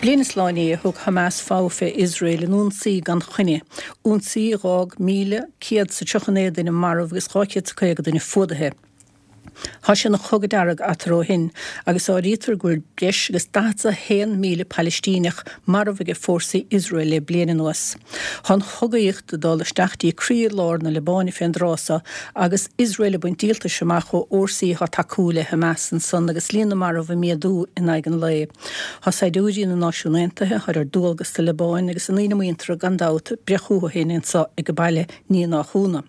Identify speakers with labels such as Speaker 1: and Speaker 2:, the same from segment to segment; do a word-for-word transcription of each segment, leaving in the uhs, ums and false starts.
Speaker 1: Bliain is lá inné a thug Hamas fogha fé Iosrael in ionsaí gan choinne, ionsaí a dh'fhág míle céad 's a tríocha naoi duine marbh agus dhá chéad 's a caoga duine fuadaithe. Thá sé ina chogadh dearg eatarthu ó shin agus áirítear go bhfuil breis agus daichead 's a haon míle Palaistíneach marbh aige fórsaí Iosrael le bliain anuas. Thá an chogaíocht ag dul isteach dtí croí lár na Liobáine fén dtráth so agus Iosrael ag baint díoltais amach ó fhórsaí athá tacú le Hamas ansan agus líon na marbh ag méadú in aghaidh an lae. Thá saighdiúirí na Náisiún Aontaithe athá ar dualgas sa Liobáin agus a ndaoine muinteartha gan dabht ag breith chucu féin anso ag baile ní nach ionadh.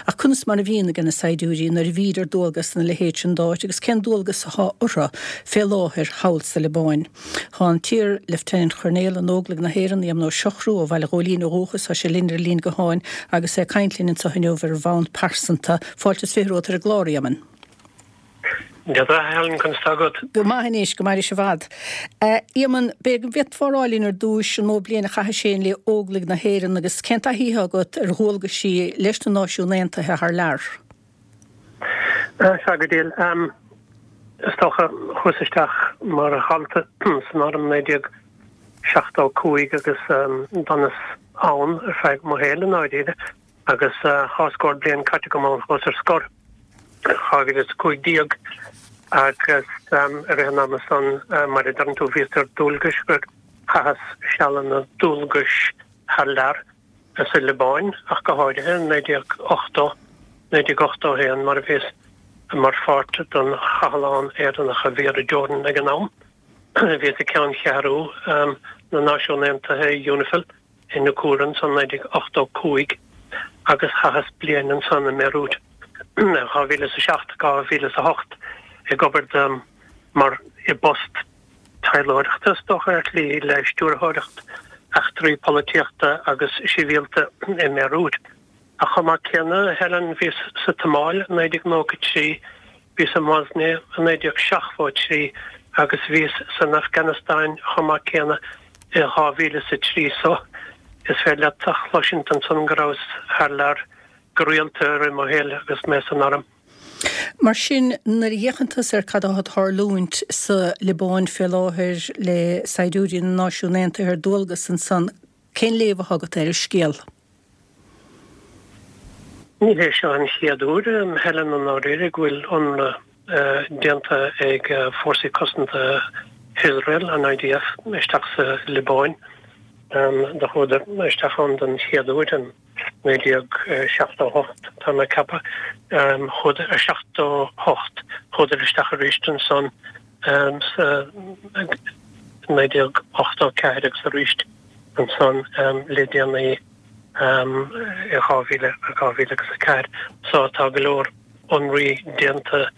Speaker 1: Ach conas mar a bhíonn aige na saighdiúirí nuair a bhíd ar dualgas ina leithéid sin d'áit agus cén dualgas athá orthu fé láthair thall sa Liobáin? Thá an t-iar-Lieutenant Choirnéal in Óglaigh na hÉireann, Éamonn Ó Siochrú, ó Bhaile Ghóilín ó dhúchas, thá sé linn ar an líne gutháin agus é ag caint linn anso inniu ar bhonn pearsanta. Fáilte is fiche romhat ar an gclár, a Éamoinn.
Speaker 2: Dia duit, a Helen, conas tá agat?
Speaker 1: Go maith anois, go mairis i bhfad. A Éamoinn, b'fhéidir go bhféadfá a rá linn ar dtúis an mó bliain a chaithis féin le Óglaigh na hÉireann agus cén taithí atá agat ar dhualgaisí leis na Náisiúin Aontaithe thar lear?
Speaker 2: Sea, go deimhin. Is dócha, chuas isteach mar dhalta san arm naoi déag seachtó a cúig agus d'fhanas ann ar feadh mo shaoil i ndáiríre agus dhá scór bliain caite agam ann. Chuas ar scor. dhá mhíle is a cúig déag agus i rith an ama san, mar a deireann tú, bhíos ar dualgais gur chaitheas sealanna dualgais thar lear, sa Liobáin ach go háirithe, naoi déag ochtó, naoi déag ochtó a haon, mar a bhíos mar pháirt den chathlán Éireannach a bhí ar an Jordan ag an am. Bhíos ag ceanncheathrú na Náisiún Aontaithe, Unifil. i Naqoura ansan naoi déag ochtó cúig agus chaitheas bliain ansan i mBeirút dhá mhíle is a seacht, dhá mhíle is a hocht ag obair do mar i bpost taidhleoireachta is dócha ar shlí le stiúrthóireacht eachtraí polaitíochta agus sibhialta i mBeirút. Ach chomh maith céanna, Helen, bhíos sa tSomáil i naoi déag nócha trí, bhíos i mBosnia i naoi déag seachtó a trí agus bhíos san Afganastáin chomh maith céanna i dhá mhíle is a trí so is féidir leat a chloisint ansan go rabhas thar lear go rialta i rith mo shaoil agus mé san arm.
Speaker 1: Mar sin, nuair a fhéachann tusa ar cad atá ag tarlúint sa Liobáin fé láthair le saighdiúirí na Náisiún Aontaithe ar dualgas ansan, cén léamh atá agat ar an scéal?
Speaker 2: Ní hé seo an chéad uair, Helen, i ndáiríre, go bhfuil ionradh déanta ag Fórsaí Cosanta Iosrael, an I D F, isteach sa Liobáin. Do chuadar isteach ann den chéad uair in naoi déag seachtó a hocht, tá mé ag ceapadh. Chuadar, seachtó hocht, chuadar isteach arís ansan sa naoi déag ochtó ceathair agus arís ansan le déanaí. i dhá mhíle, dhá mhíle agus a ceathair. So tá go leor ionraí déanta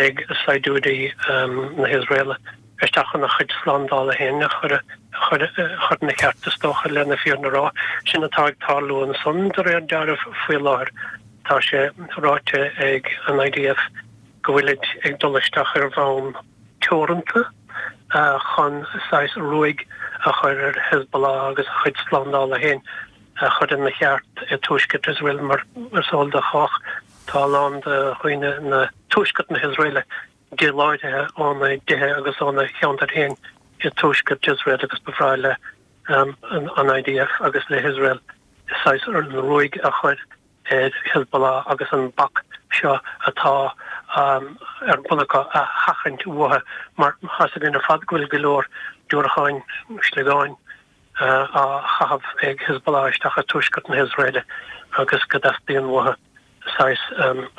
Speaker 2: ag saighdiúirí na hIosraela isteach chun a chuid slándála féin a chur chur chur ina cheart is dócha lena fírinne a rá. Sin atá ag tarlú ansan de réir dealraimh faoi láthair. Tá sé ráite ag an I D F go bhfuilid ag dul isteach ar bhonn teoranta chun saghas ruaig a chur ar Hezbollah agus a chuid slándála féin a chur ina cheart i tuaisceart Iosrael. Mar is eol do chách, tá a lán de dhaoine na tuaisceart na hIosraeile díláithrithe óna dtithe agus óna cheantair féin i tuaisceart Iosrael agus ba bhreá le an I D F agus le hIosrael saghas ruaig a chur ar Hezbollah agus an bac seo atá ar bun acu a sheachaint uathu, mar tá 'fhios againn ar fad go bhfuil go leor diúracáin, sligeáin á chaitheamh ag Hezbollah isteach i tuaisceart na hIosraeile agus go dteastaíonn uathu saghas,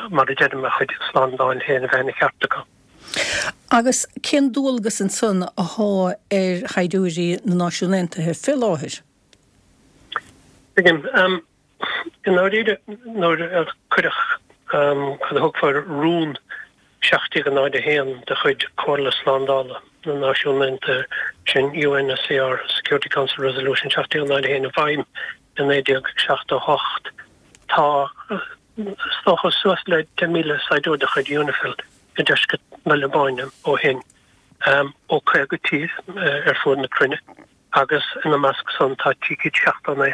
Speaker 2: mar a deirim, a chuid slándáil féin a bheith ina cheart acu.
Speaker 1: Agus cén dualgas ansan athá ar shaighdiúirí na Náisiún Aontaithe fé láthair?
Speaker 2: Tuigim. I ndáiríre, nuair a cuireadh cad a thugfá ar Rún seacht déag náid a haon de chuid Comhairle Slándála na Náisiún Aontaithe, sin U N S C R Security Council Resolution seacht déag náid a haon, i bhfeidhm i naoi déag seachtó a hocht, tá is dócha suas le deich míle saighdiúir de chuid Unifil i ndeisceart na Liobáine ó shin, ó caoga tír ar fuaid na cruinne, agus ina measc san tá trí chéad seachtó naoi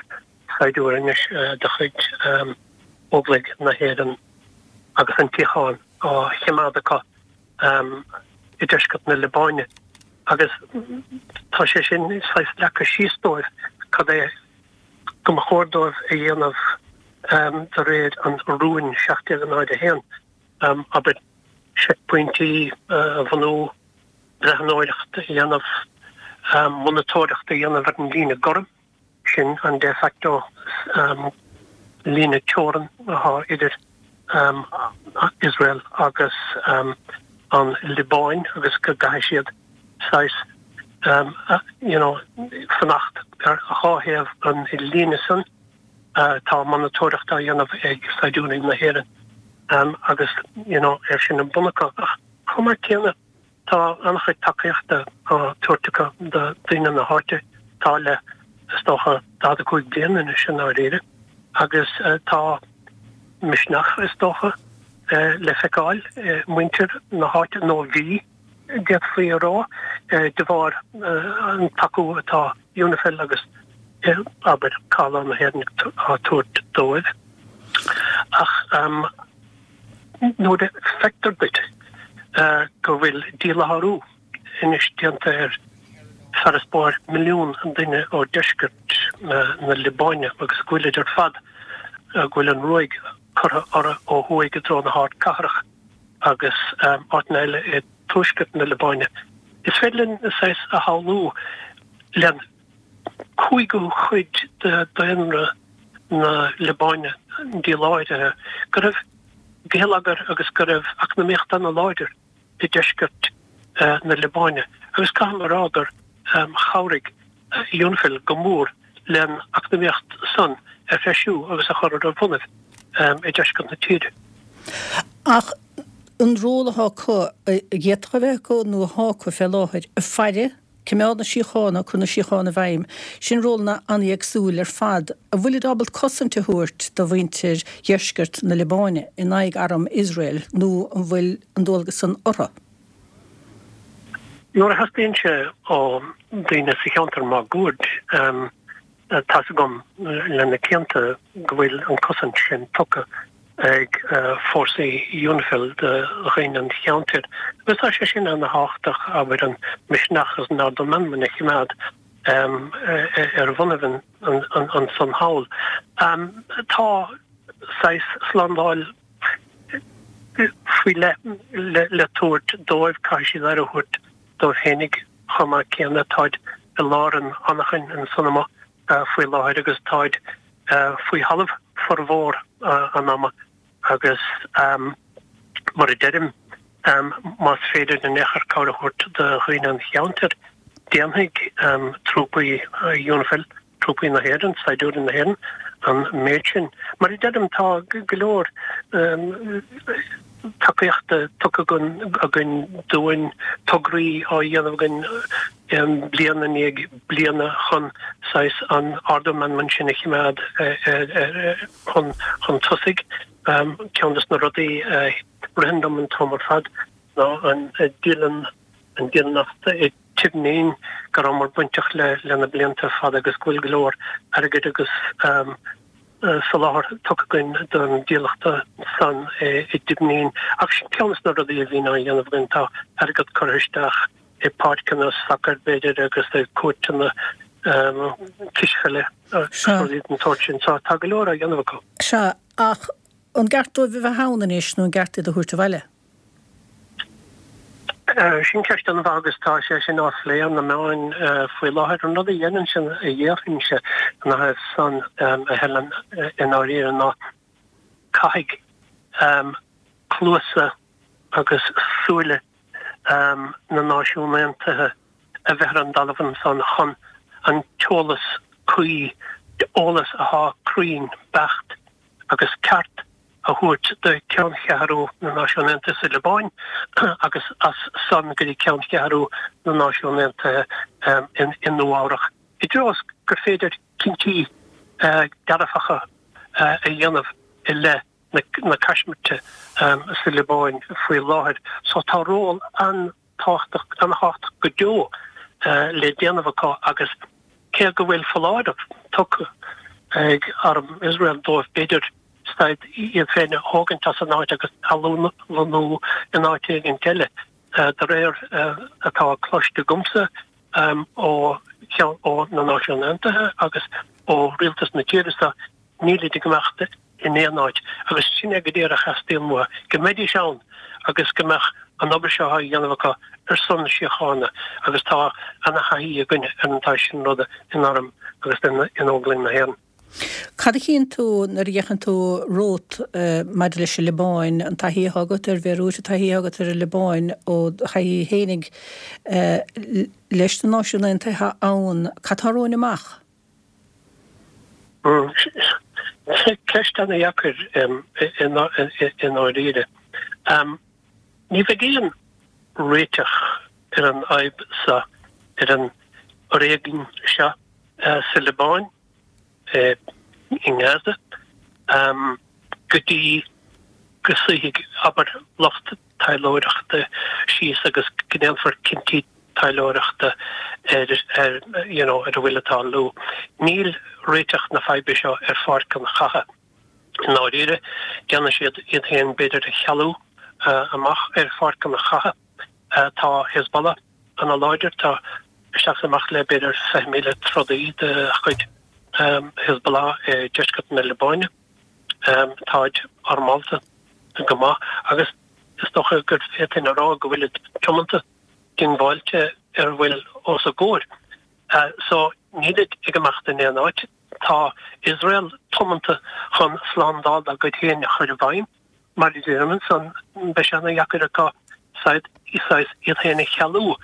Speaker 2: saighdiúir anois de chuid Óglaigh na hÉireann agus an tsíocháin á choimeád acu i deisceart na Liobáine. Agus tá sé sin saghas leagtha síos dóibh cad é go mba chóir dóibh a dhéanamh de réir an rúin seacht déag náid a haon, abair, seicphointí a bhunú, breathnóireacht a dhéanamh, monatóireacht a dhéanamh ar an líne gorm, sin an de facto líne teorann atá idir Iosrael agus an Liobáin agus go gcaithfidh siad saghas you know fanacht ar dhá thaobh an líne san. Tá monatóireacht á dhéanamh ag saighdiúirí na hÉireann agus you know é sin an bun acu. Ach chomh maith céanna tá an-chuid tacaíochta á tabhairt acu do daoine na háite. Tá le is dócha daichead a cúig bliain anois i ndáiríre agus tá misneach is dócha le feiceáil i muintir na háite nó bhí, d'fhéadfaí a rá, de bharr an tacú atá Unifil agus abair Cabhlach na hÉireann á tabhairt dóibh. Ach nuair a feictear duit go bhfuil díláithriú anois déanta ar farasbarr milliún duine ó deisceart na Liobáine agus go bhfuilid ar fad, go bhfuil an ruaig curtha orthu ó thuaidh i dtreo na hardcathrach agus áiteanna eile i dtuaisceart na Liobáine. Is féidir linn saghas a shamhlú le cúigiú cuid de dhaonra na Liobáine díláithrithe go raibh geilleagar agus go raibh eacnamaíocht ana-láidir i deisceart na Liobáine agus caithfidh mé a rá gur chabhraigh Unifil go mór len eacnamaíocht san a threisiú agus a chur ar a bonnaibh i deisceart na tíre.
Speaker 1: Ach an ról atá acu, a d'fhéadfadh a bheith acu nó atá acu fé láthair, ag faire, coimeád na síochána, cur na síochána i bhfeidhm, sin rólanna an-éagsúil ar fad. An bhfuilid ábalta cosaint a thabhairt do mhuintir dheisceart na Liobáine in aghaidh arm Iosrael nó an bhfuil an dualgas san orthu?
Speaker 2: Nuair a theastaíonn sé ó daoine sa cheantar máguaird, tá's agam le na cianta go bhfuil an cosaint sin tugtha ag fórsaí Unifil do dhaoine an cheantair. Agus tá sé sin ana-thábhachtach, abair, an misneach agus an ardú meanman a choimeád ar bhonnaibh ansan thall. Tá saghas slándáil faoi leith le tabhairt dóibh, caithfidh siad aire a thabhairt dóibh fhéinig chomh maith céanna. Táid i lár an anachain ansan amuigh faoi láthair agus táid faoi thalamh formhór an ama agus mar a deirim, más féidir in aon chor cabhair a thabhairt do dhaoine an cheantair, déanfaidh trúpaí Unifil, trúpaí na hÉireann, saighdiúirí na hÉireann, an méid sin. Mar a deirim, tá go leor tacaíochta tugtha againn dúinn, tograí á dhéanamh againn bliain i ndiaidh bliana chun saghas an ardú meanman sin a choimeád chun tosaigh. Ceann des na rudaí a ritheann dom an t-am ar fad ná an dialann, an dialannacht i Tibnin, go rabhamar bainteach le le na blianta fada agus go bhfuil go leor airgid agus soláthar tugtha againn don dílleachta san i dTibnin. Ach sin ceann des na rudaí a bhíonn á dhéanamh againn, tá airgead curtha isteach i páirceanna sacair b'fhéidir agus i cúirteanna cispheile agus rudaí den tsórt sin. So tá go leor á dhéanamh acu.
Speaker 1: Sea, ach an gceart dóibh a bheith ann anois nó an gceart iad a thabhairt abhaile?
Speaker 2: Sin ceist an-mhaith agus tá sé sin á phlé ar na meáin faoi láthair. An rud a dhéanann sin, a dhéarfainnse ina thaobh san, a Helen, i ndáiríre ná caithfidh cluasa agus súile na Náisiún Aontaithe a bheith ar an dtalamh ansan chun an t-eolas cuí, eolas atá cruinn, beacht agus ceart, a thabhairt do Cheanncheathrú na Náisiún Aontaithe sa Liobáin agus as san go dtí Ceanncheathrú na Náisiún Aontaithe i Nua-Eabhrac, i dtreo is gur féidir cinntí dearfacha a dhéanamh i leith na caismirte sa Liobáin faoi láthair. So tá ról an. tábhachtach, an-tábhachtach go deo le déanamh acu agus cé go bhfuil foláireamh tugtha ag arm Iosrael dóibh, b'fhéidir, stad iad féin a thógaint as an áit agus a lonnú in áit éigin eile, De réir atá cloiste agamsa ó ó na Náisiúin Aontaithe agus ó rialtas na tíre seo, nílid ag imeacht in aon áit agus sin é go díreach a theastaíonn uathu, go mbeidís ann agus go mbeadh an obair seo á dhéanamh acu ar son na síochána agus tá ana-thaithí againne ar an tsaghas sin ruda in arm agus in Óglaigh na hÉireann.
Speaker 1: Cad a chíonn tú nuair a fhéachann tú romhat maidir leis an Liobáin, an taithí atá agat ar Bhéiriút, an taithí atá agat ar an Liobáin ó do thaithí fhéinig leis na Náisiúin Aontaithe ann, cad tá romhainn amach?
Speaker 2: Ceist ana-dheacair i ndáiríre. Ní bheidh aon réiteach ar an fhadhb seo, ar an fhoréigean seo sa Liobáin, i nGaza, go dtí go suífidh, abair, lucht taidhleoireachta síos agus go ndéanfar cinntí taidhleoireachta ar, ar, you know, ar a bhfuil ag tarlú. Níl réiteach na faidhbe seo ar pháirc an chatha. I ndáiríre, déanfaidh siad iad féin b'fhéidir a chealú amach ar pháirc an chatha. Tá Hezbollah ana-láidir, tá isteach is amach le b'fhéidir fiche míle trodaí de chuid Hezbollah i deisceart na Liobáine. Táid armálta go maith agus is dócha gur féadfainn a rá go bhfuilid tiomanta, diongbháilte ar a bhfuil os a gcomhair. So nílid ag imeacht in aon áit. Tá Iosrael tiomanta chun slándáil dá gcuid féin a chur i bhfeidhm. Mar a deirim ansan, beidh sé ana-dheacair acu saghas iad féin a chealú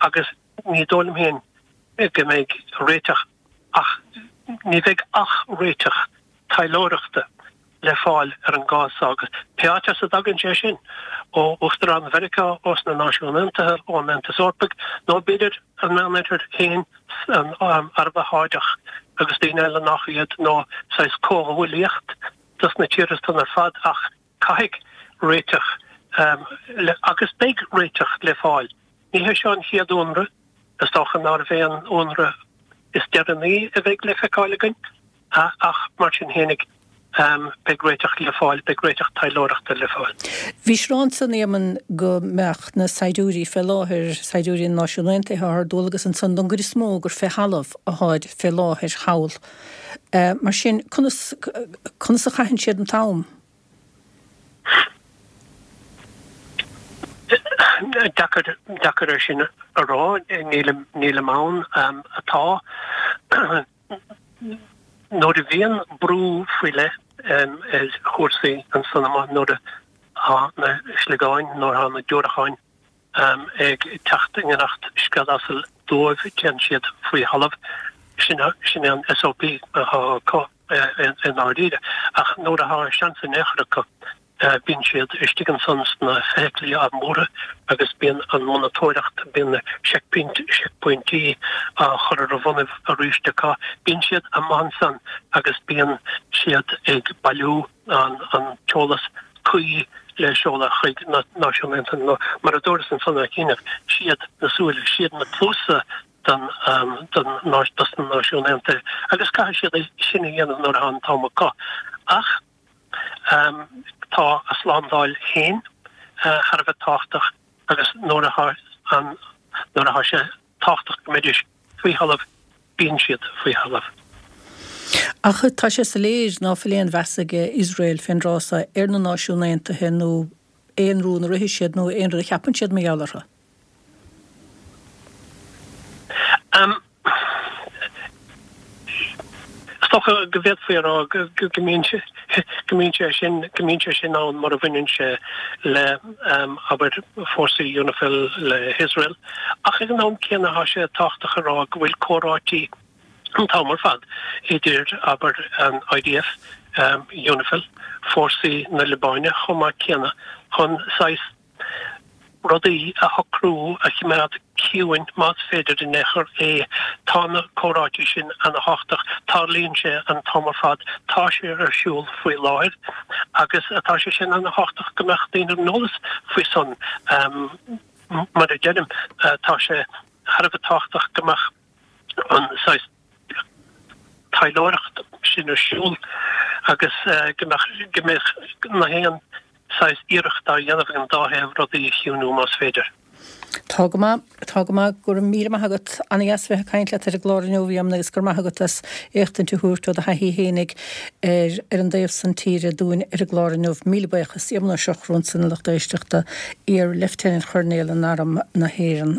Speaker 2: agus ní dóigh liom féin go mbeidh réiteach ach ní bheidh ach réiteach taidhleoireachta le fáil ar an gcás seo agus pé áit as a dtagann sé sin, ó Uachtarán Mheiriceá, ós na Náisiúin Aontaithe, ón Aontas Eorpaigh nó b'fhéidir an Meánoirthear féin, an Araib Sháideach agus daoine eile nach iad nó saghas comhghuaillíocht dos na tíortha san ar fad ach caithfidh réiteach agus beidh réiteach le fáil. Ní hé seo an chéad ionradh, is dócha nárbh é an ionradh is deireanaí a bheidh le feiceáil againn, ach mar sin fhéinig, beidh réiteach le fáil, beidh réiteach taidhleoireachta le fáil.
Speaker 1: Bhís ag rá ansan, a Éamoinn, go mbeadh na saighdiúirí fé láthair, saighdiúirí na Náisiún Aontaithe atá ar dualgas ansan don gcuid is mó gur fé thalamh atáid fé láthair thall. Mar sin, conas, conas a chaitheann siad an t-am?
Speaker 2: Deacair, deacair é sin a rá, nílim, nílim ann. Atá, nuair a bhíonn brú faoi leith ar chúrsaí ansan amuigh, nuair atá na sliogáin, nuair atá na diúracáin ag teacht i ngiorracht scread asail dóibh, téann siad faoi thalamh. Sin, sin é an SOP atá acu i ndáiríre. Ach nuair atá seans in aon chor acu, Bíonn siad istigh ansan sna feithiclí armúrtha agus bíonn an monatóireacht, bíonn na seicphointí á chur ar a bhonnaibh arís acu. Bíonn siad amuigh ansan agus bíonn siad ag bailiú an t-eolas cuí le seoladh chuig na Náisiúin Aontaithe nó mar a dúras ansan ar chinnidh, siad na súile, siad na cluasa don dos na Náisiúin Aontaithe agus caithfidh siad é sin a dhéanamh nuair atá an t-am acu. Ach. Tá a slándáil féin thar a bheith tábhachtach agus nuair atá an, nuair atá sé tábhachtach go mbeidís faoi thalamh, bíonn siad faoi thalamh.
Speaker 1: Ach tá sé soiléir ná fuil aon mheas ag Iosrael fén dtráth so ar na Náisiúin Aontaithe nó aon rún a rithfidh siad nó aon rud a cheapann siad mar gheall orthu.
Speaker 2: Is dócha go bhféadfaí a rá go mbíonn sé go mbíonn sé sin go mbíonn sé sin ann mar a bhaineann sé le abair fórsaí Unifil le hIosrael ach ag an am céanna tá sé tábhachtach a rá go bhfuil comhráití an t-am ar fad idir abair an IDF, Unifil, fórsaí na Liobáine chomh maith céanna chun saghas rudaí a shocrú, a choimeád ciúin, más féidir in aon chor é. Tá na comhráití sin ana-thábhachtach. Tarlaíonn sé an t-am ar fad. Tá sé ar siúl faoi láthair agus tá sé sin ana-thábhachtach go mbeadh daoine ar an eolas faoi san. Mar a deirim, tá sé thar a bheith tábhachtach go mbeadh an saghas taidhleoireacht sin ar siúl agus go mbeadh go mbeadh na haon saghas iarracht á dhéanamh ag an dá thaobh rudaí a chiúnú más féidir.
Speaker 1: Tá go maith, tá go maith, go raibh míle maith agat. Ana-dheas bheith ag caint leat ar an gclár inniu, a Éamoinn, agus go raibh maith agat as éachtaint a thabhairt ó do thaithí fhéinig ar ar an dtaobh san tíre dúinn ar an gclár inniu. Míle buíochas. Éamonn Ó Siochfhradha ansan, a lucht éisteachta, iar-Leifteanant-Choirnéal in Arm na hÉireann.